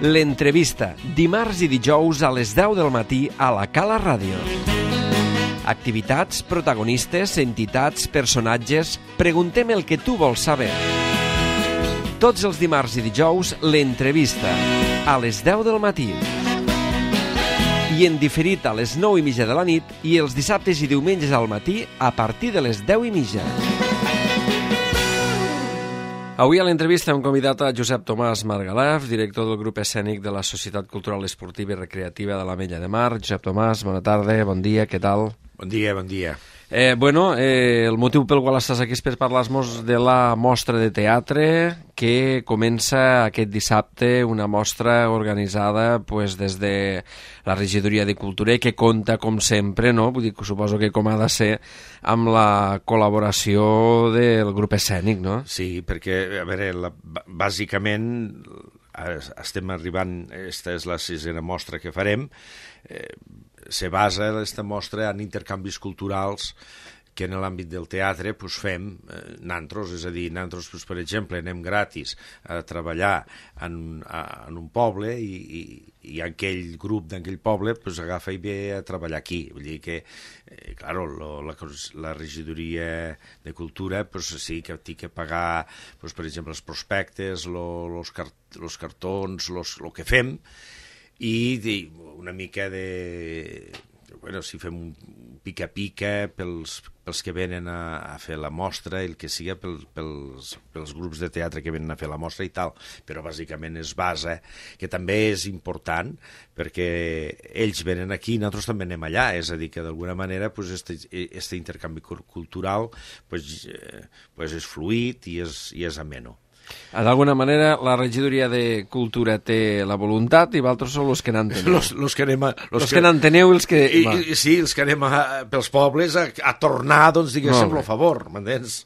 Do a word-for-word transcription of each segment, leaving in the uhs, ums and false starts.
L'entrevista, dimarts i dijous a les deu del matí a la Cala Ràdio. Activitats, protagonistes, entitats, personatges... Preguntem el que tu vols saber. Tots els dimarts i dijous, l'entrevista, a les deu del matí. I en diferit a les nou i mitja de la nit i els dissabtes i diumenges al matí a partir de les deu i mitja. Avui a l'entrevista hem convidat a Josep Tomàs Margalef, director del grup escènic de la Societat Cultural Esportiva i Recreativa de l'Ametlla de Mar. Josep Tomàs, bona tarda, bon dia, què tal? Bon dia, bon dia. Eh, bueno, eh, el motiu pel qual estàs aquí és per parlar-nos de la mostra de teatre que comença aquest dissabte, una mostra organitzada pues, des de la Regidoria de Cultura i que compta, com sempre, no? Vull dir, suposo que com ha de ser, amb la col·laboració del grup escènic, no? Sí, perquè, a veure, la, bàsicament estem arribant, aquesta és la sisena mostra que farem, eh, se basa aquesta mostra en intercanvis culturals que en l'àmbit del teatre pues, fem eh, nantros, és a dir, nantros, pues, per exemple, anem gratis a treballar en, a, en un poble i, i, i aquell grup d'aquell poble pues, agafa i ve a treballar aquí. Vull dir que, eh, claro, lo, la, la regidoria de cultura pues, sí que té que pagar, pues, per exemple, els prospectes, lo, los, cart, los cartons, los, lo que fem, i una mica de... Bueno, si fem un pica-pica pels, pels que venen a, a fer la mostra, el que siga pel, pels, pels grups de teatre que venen a fer la mostra i tal, però bàsicament es basa, que també és important, perquè ells venen aquí i nosaltres també anem allà, és a dir, que d'alguna manera pues, este, este intercanvi cultural pues, eh, pues és fluid i és, i és ameno. D'alguna manera, la regidoria de Cultura té la voluntat i vosaltres sou els que n'enteneu. Los, los que anem a... Los, los que, que n'enteneu i els que... I, i, sí, els que anem a, pels pobles a, a tornar, doncs, diguéssim, el favor, m'entens?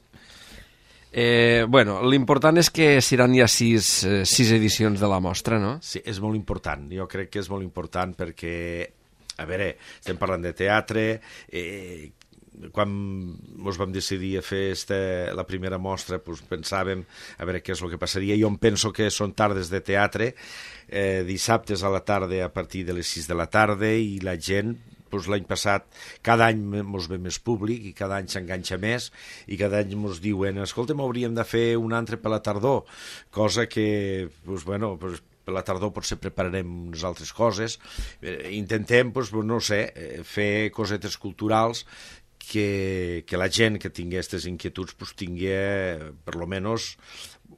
Eh, bueno, l'important és que seran ja sis, eh, sis edicions de la mostra, no? Sí, és molt important. Jo crec que és molt important perquè, a veure, estem parlant de teatre... Eh, quan ens vam decidir a fer este, la primera mostra pues, pensàvem a veure què és el que passaria. Jo em penso que són tardes de teatre, eh, dissabtes a la tarda a partir de les sis de la tarda i la gent, pues, l'any passat, cada any ens ve més públic i cada any s'enganxa més i cada any ens diuen, escolta'm, hauríem de fer un altre per la tardor, cosa que, pues, bueno, pues, per la tardor potser prepararem unes altres coses. Eh, intentem, pues, no sé, fer cosetes culturals Que, que la gent que tingui aquestes inquietuds pues, tingui per lo menos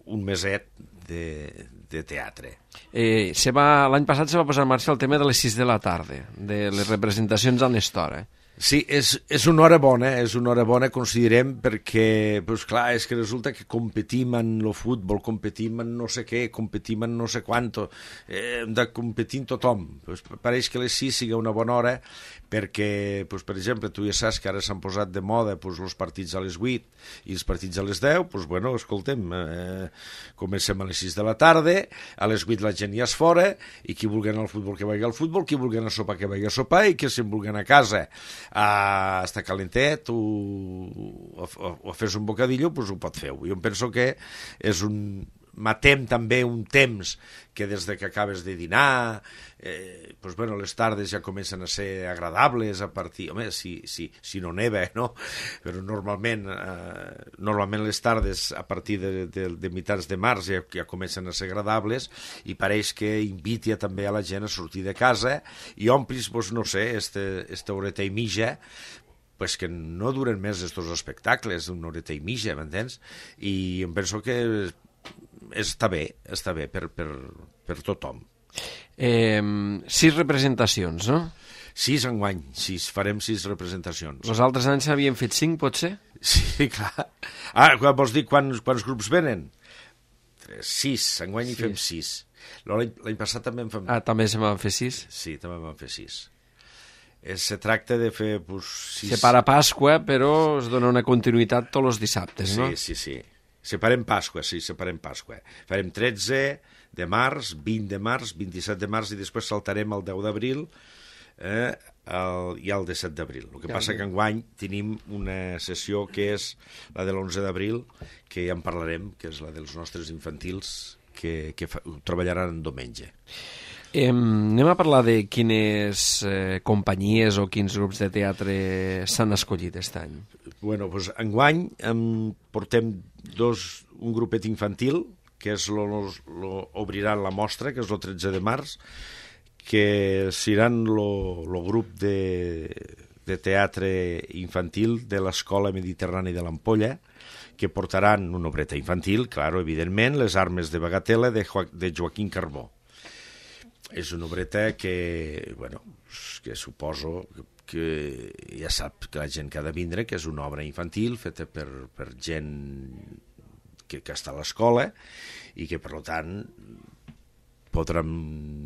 un meset de, de teatre. Eh, se va, l'any passat se va posar en marxa el tema de les sis de la tarda, de les representacions a l'estora. Eh? Sí, és, és una hora bona, és una hora bona, considerem, perquè, pues, clar, és que resulta que competim en el futbol, competim en no sé què, competim en no sé quanto, eh, hem de competir en tothom. Pues, pareix que les sis sigui una bona hora, perquè, pues, per exemple, tu ja saps que ara s'han posat de moda pues, els partits a les vuit i els partits a les deu, pues, bueno, escoltem, eh, comencem a les sis de la tarda, a les vuit la gent ja és fora, i qui vulgui anar al futbol que vagi al futbol, qui vulgui anar a sopar que vagi a sopar, i qui se'n vulgui anar a casa a estar calentet o, o, o a fer-se un bocadillo, pues ho pot fer. Jo em penso que és un... matem també un temps que des de que acabes de dinar, eh, pues bueno, les tardes ja comencen a ser agradables a partir... Home, si, si, si no neva, no? Però normalment, eh, normalment les tardes a partir de, de, de mitjans de març ja, ja comencen a ser agradables i pareix que inviti també a la gent a sortir de casa i omplis, pues, no sé, este, esta horeta i mitja, pues que no duren més estos espectacles, una horeta i mitja, m'entens? I em penso que està bé, està bé per, per, per tothom. Eh, sis representacions, no? Sis enguany, sis, farem sis representacions. Els altres anys havien fet cinc, potser? Sí, clar. Ah, vols dir quants, quants grups venen? Sis, enguany hi fem sis. L'any passat també en fem... Ah, també se van fer sis? Sí, també en van fer sis. Se tracta de fer... Pues, sis... Se para Pasqua, però es dona una continuïtat tots els dissabtes, no? Sí, sí, sí. Separem Pasqua, sí, separem Pasqua. Farem tretze de març, vint de març, vint-i-set de març i després saltarem el deu d'abril eh, el, i el disset d'abril. El que ja, passa que enguany tenim una sessió que és la de l'onze d'abril, que ja en parlarem, que és la dels nostres infantils, que, que fa, treballaran en diumenge. Eh, anem a parlar de quines eh, companyies o quins grups de teatre s'han escollit aquest any. Bueno, doncs enguany em portem dos, un grupet infantil, que és lo, lo, lo, obriran la mostra, que és el tretze de març, que seran el grup de, de teatre infantil de l'Escola Mediterrània de l'Ampolla, que portaran una obreta infantil, claro, evidentment, Les armes de Bagatela, de, jo, de Joaquín Carbó. És una obreta que, bueno, que suposo que ja sap que la gent que ha de vindre, que és una obra infantil feta per, per gent que, que està a l'escola i que, per tant, podran,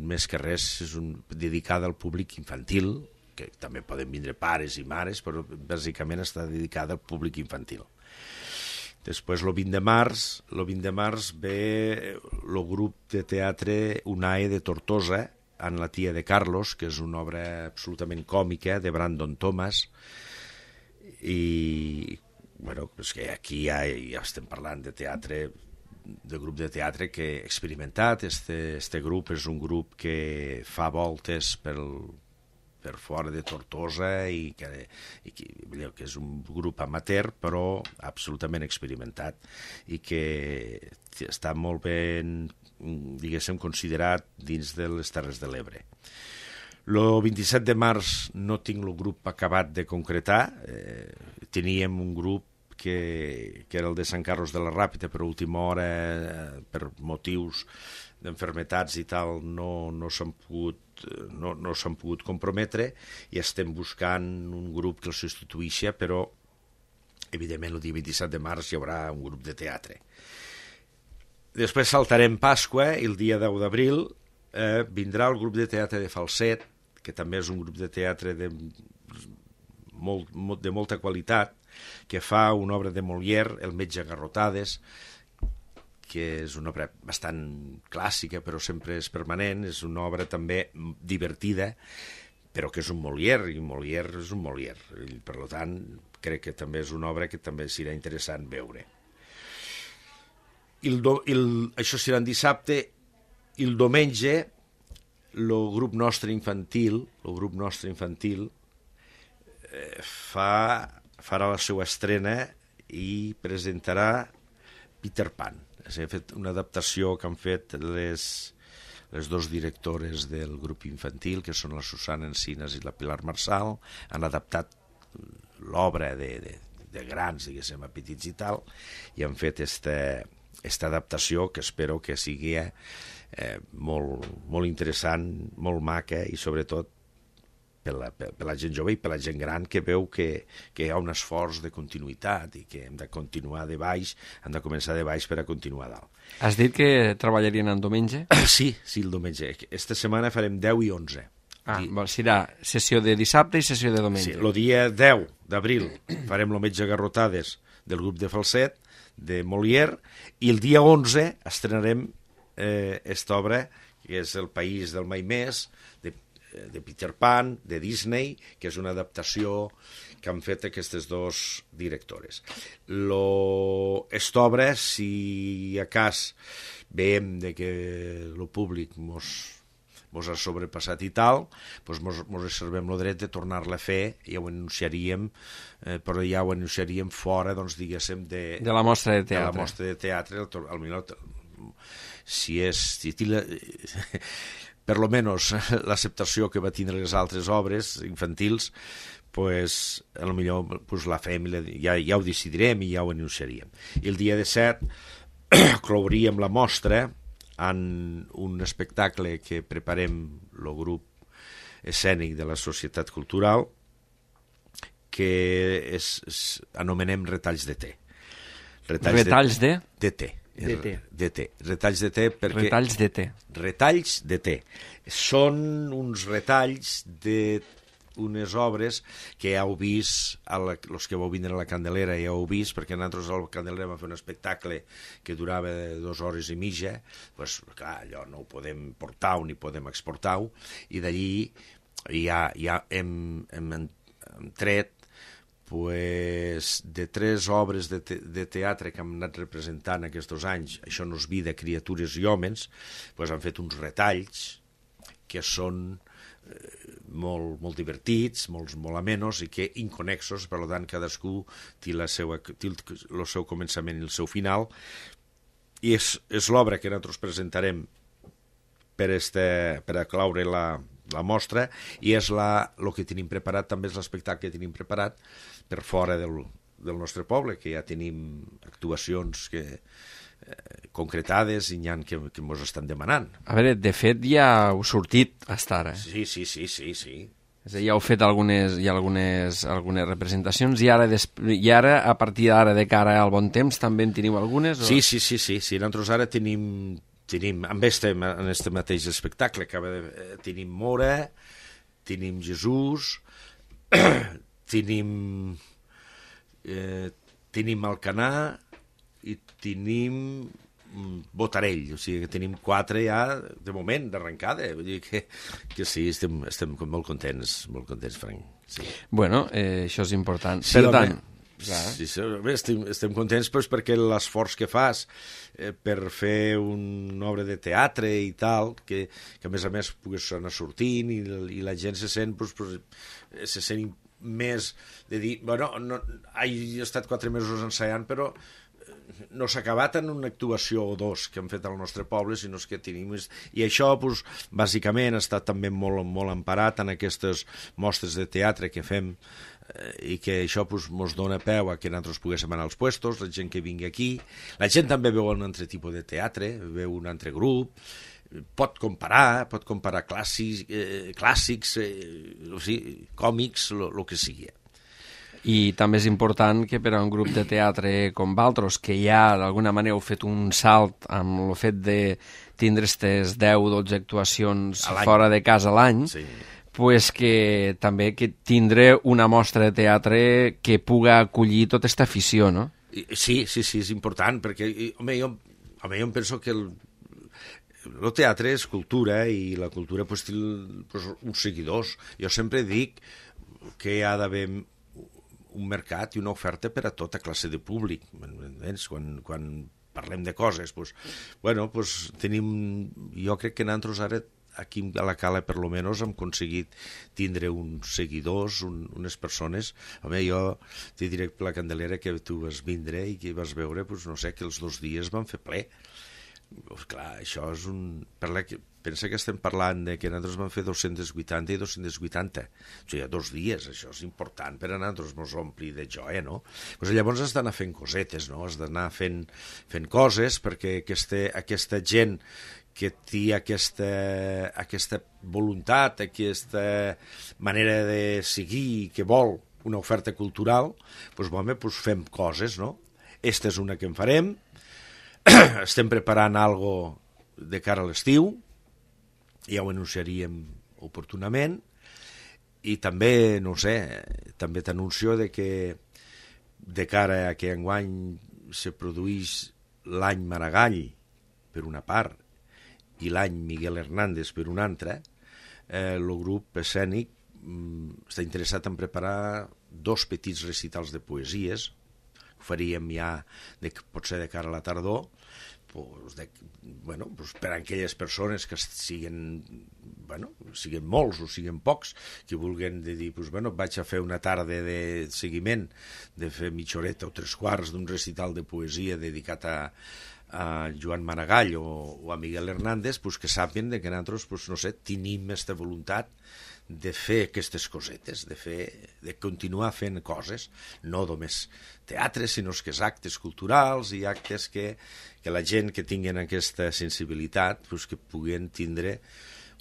més que res, és un, dedicada al públic infantil, que també poden vindre pares i mares, però bàsicament està dedicada al públic infantil. Després, el vint de març, el vint de març ve el grup de teatre UNAE de Tortosa, en La tia de Carlos, que és una obra absolutament còmica de Brandon Thomas, i bueno, és que aquí ja, ja estem parlant de teatre, de grup de teatre que he experimentat. Este, este grup és un grup que fa voltes pel, per fora de Tortosa i que, i que, que és un grup amateur però absolutament experimentat i que està molt ben, diguéssim, considerat dins de les Terres de l'Ebre. El vint-i-set de març no tinc el grup acabat de concretar. Eh, teníem un grup que, que era el de Sant Carlos de la Ràpita, però a última hora, eh, per motius d'enfermetats i tal, no, no s'han pogut, no, no s'han pogut comprometre i estem buscant un grup que el substituïsca, però evidentment el dia vint-i-set de març hi haurà un grup de teatre. Després saltarem Pasqua i el dia deu d'abril eh, vindrà el grup de teatre de Falset, que també és un grup de teatre de, molt, de molta qualitat, que fa una obra de Molière, El metge a garrotades, que és una obra bastant clàssica, però sempre és permanent, és una obra també divertida, però que és un Molière, i Molière és un Molière. I, per tant, crec que també és una obra que també serà interessant veure. I el do, el, això serà en dissabte, i el diumenge el grup nostre infantil, el grup nostre infantil eh, fa, farà la seva estrena i presentarà Peter Pan. Hem fet una adaptació que han fet les, les dos directores del grup infantil, que són la Susana Encinas i la Pilar Marsal, han adaptat l'obra de, de, de grans, diguéssim, a petits i tal, i han fet esta, esta adaptació que espero que sigui eh, molt, molt interessant, molt maca i sobretot per la, per, per la gent jove i per la gent gran que veu que, que hi ha un esforç de continuïtat i que hem de continuar de baix, hem de començar de baix per a continuar dalt. Has dit que treballarien en diumenge? Sí, sí, el diumenge. Esta setmana farem deu i onze. Ah, I... bon, serà sessió de dissabte i sessió de diumenge. Sí, el dia deu d'abril farem el metge a garrotades del grup de Falset, de Molière, i el dia onze estrenarem eh, esta obra, que és El país del mai més, de de Peter Pan, de Disney, que és una adaptació que han fet aquestes dos directores. Lo... Esta obra, si a cas veiem de que el públic mos, mos ha sobrepassat i tal, doncs mos, mos reservem el dret de tornar-la a fer, ja ho anunciaríem, eh, però ja ho anunciaríem fora, doncs, diguéssim, de, de la mostra de teatre. De la mostra de teatre, al, al minut, si és... Si tila, per lo menos l'acceptació que va tindre les altres obres infantils, pues, a lo millor pues, la fem, ja, ja ho decidirem i ja ho anunciaríem. I el dia disset clouríem la mostra en un espectacle que preparem el grup escènic de la Societat Cultural, que és, és, anomenem Retalls de té. Retalls, Retalls de? De té. De té. De té. Retalls de té perquè... Retalls de té. Retalls de té. Són uns retalls de unes obres que ja heu vist, a la, els que vau vindre a la Candelera ja heu vist, perquè nosaltres a la Candelera vam fer un espectacle que durava dues hores i mitja, doncs clar, allò no ho podem portar ni podem exportar-ho, i d'allí ja, ja hem, hem, hem tret pues, de tres obres de, te de teatre que hem anat representant aquests anys, Això no és vida, criatures i homes, pues, han fet uns retalls que són molt, molt divertits, molt, molt amenos i que inconexos, per tant cadascú té, la seva, té el, el seu començament i el seu final, i és, és l'obra que nosaltres presentarem per, este, per aclaure la, la mostra, i és la, el que tenim preparat, també és l'espectacle que tenim preparat per fora del, del nostre poble, que ja tenim actuacions que Eh, concretades i n'hi ha que, que ens estan demanant. A veure, de fet ja heu sortit hasta ara. Sí, sí, sí, sí, sí. És a dir, ja heu fet algunes, ja algunes, algunes representacions i ara, i ara, a partir d'ara, de cara al bon temps, també en teniu algunes? O... Sí, sí, sí, sí, sí. Nosaltres ara tenim, tenim amb este, en este mateix espectacle, acaba de, eh, tenim Mora, tenim Jesús, tenim, eh, tenim Alcanar, i tenim Botarell, o sigui que tenim quatre ja de moment, d'arrencada, vull dir que, que sí, estem, estem molt contents, molt contents, Frank. Sí. Bueno, eh, això és important. Sí, per home, tant... Sí, sí, estem, estem contents pues, perquè l'esforç que fas eh, per fer una obra de teatre i tal, que, que a més a més pogués anar sortint i, i la gent se sent, pues, pues, se sent més de dir, bueno, no, he estat quatre mesos ensaiant, però no s'ha acabat en una actuació o dos que hem fet al nostre poble, sinó que tenim... I això, doncs, bàsicament, ha estat també molt, molt emparat en aquestes mostres de teatre que fem eh, i que això ens doncs, dona peu a que nosaltres poguéssim anar als puestos, la gent que vingui aquí. La gent també veu un altre tipus de teatre, veu un altre grup, pot comparar, pot comparar clàssics, eh, clàssics eh, o sigui, còmics, el que sigui. I també és important que per a un grup de teatre com Valtros, que ja d'alguna manera heu fet un salt amb el fet de tindre aquestes deu o dotze actuacions fora de casa a l'any, sí. Pues que també que tindre una mostra de teatre que puga acollir tota aquesta afició, no? Sí, sí, sí, és important, perquè home, jo, home, jo em penso que el, el teatre és cultura i la cultura pues, té pues, uns seguidors. Jo sempre dic que hi ha d'haver un mercat i una oferta per a tota classe de públic. Quan, quan parlem de coses, doncs, bueno, doncs tenim... Jo crec que nosaltres ara, aquí a la Cala, per lo menos, hem aconseguit tindre uns seguidors, un, unes persones... Home, jo te diré per la Candelera que tu vas vindre i que vas veure, doncs, no sé, que els dos dies van fer ple. Pues, clar, això és un... Per la que... Pensa que estem parlant de que nosaltres vam fer dos-cents vuitanta i dos-cents vuitanta. O sigui, dos dies, això és important per a nosaltres mos ompli de joia, no? Pues llavors has d'anar fent cosetes, no? Has d'anar fent, fent coses perquè aquesta, aquesta gent que té aquesta, aquesta voluntat, aquesta manera de seguir, que vol una oferta cultural, doncs, home, doncs fem coses, no? Esta és una que en farem. Estem preparant algo de cara a l'estiu, ja ho anunciaríem oportunament, i també, no sé, també t'anuncio de que de cara a que enguany se produís l'any Maragall per una part i l'any Miguel Hernández per una altra, eh, el grup escènic mm, està interessat en preparar dos petits recitals de poesies, ho faríem ja de, potser de cara a la tardor, pues de, bueno, pues per a aquelles persones que siguin, bueno, siguin molts o siguin pocs, que vulguin de dir, pues, bueno, vaig a fer una tarda de seguiment, de fer mitja horeta o tres quarts d'un recital de poesia dedicat a, a Joan Maragall o, o a Miguel Hernández, pues, que sàpien que nosaltres, pues, no sé, tenim aquesta voluntat de fer aquestes cosetes, de, fer, de continuar fent coses, no només teatre, sinó que és actes culturals i actes que, que la gent que tinguin aquesta sensibilitat pues, que puguen tindre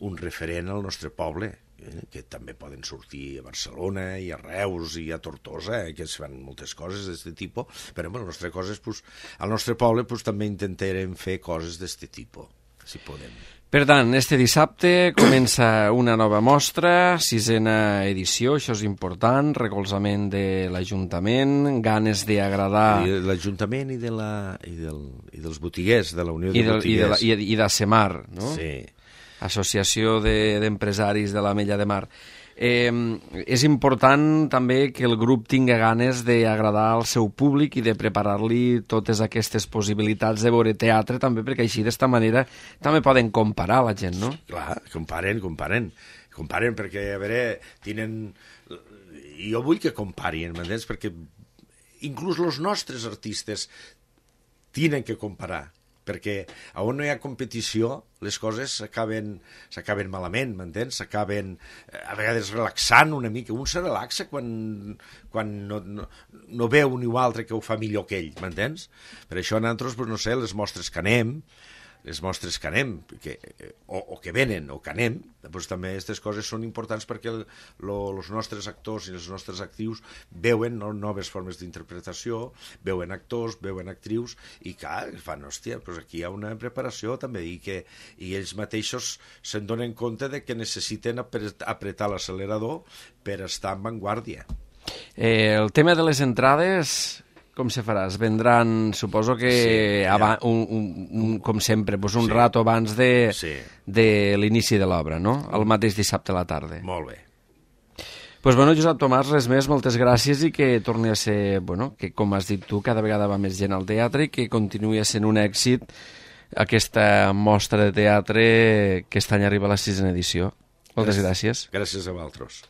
un referent al nostre poble, eh, que també poden sortir a Barcelona i a Reus i a Tortosa, eh, que es fan moltes coses d'aquest tipus, però bueno, el nostre coses, pues, al nostre poble pues, també intentarem fer coses d'aquest tipus, si podem. Per tant, este dissabte comença una nova mostra, sisena edició, això és important, recolzament de l'Ajuntament, ganes d'agradar... L'Ajuntament i, de la, i, del, i dels botiguers, de la Unió de, I del, Botiguers. I de, i de Semar, no? Sí. Associació de, d'Empresaris de l'Ametlla de Mar. Eh, és important també que el grup tinga ganes d'agradar al seu públic i de preparar-li totes aquestes possibilitats de veure teatre també, perquè així d'esta manera també poden comparar la gent, no? Clar, comparen, comparen. Comparen perquè, a veure, tenen... Jo vull que comparin, m'entens? Perquè inclús els nostres artistes tenen que comparar, perquè on no hi ha competició les coses s'acaben s'acaben malament, m'entens? S'acaben a vegades relaxant una mica. Un se relaxa quan, quan no, no, no veu un o altre que ho fa millor que ell, m'entens? Per això nosaltres, pues, no sé, les mostres que anem, les mostres que anem, que, o, o que venen, o que anem, doncs també aquestes coses són importants perquè els nostres actors i els nostres actrius veuen no, noves formes d'interpretació, veuen actors, veuen actrius, i clar, fan, hòstia, doncs aquí hi ha una preparació també, i que i ells mateixos se'n donen compte de que necessiten apretar l'accelerador per estar en vanguardia. Eh, el tema de les entrades... Com se farà? Es vendran, suposo que, sí, ja. aba, un, un, un, com sempre, pues un sí. rato abans de, sí. de l'inici de l'obra, no? El mateix dissabte a la tarda. Molt bé. Pues bueno, Josep Tomàs, res més, moltes gràcies i que torni a ser, bueno, que com has dit tu, cada vegada va més gent al teatre i que continuï sent un èxit aquesta mostra de teatre que aquest any arriba a la sisena edició. Moltes gràcies. Gràcies a vosaltres.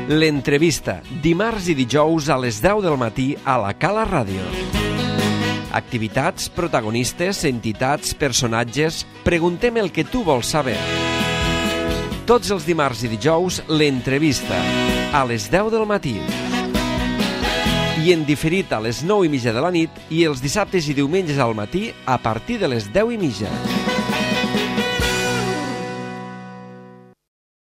L'entrevista, dimarts i dijous a les deu del matí a la Cala Ràdio. Activitats, protagonistes, entitats, personatges... Preguntem el que tu vols saber. Tots els dimarts i dijous, l'entrevista, a les deu del matí. I en diferit a les nou i mitja de la nit i els dissabtes i diumenges al matí a partir de les deu i mitja.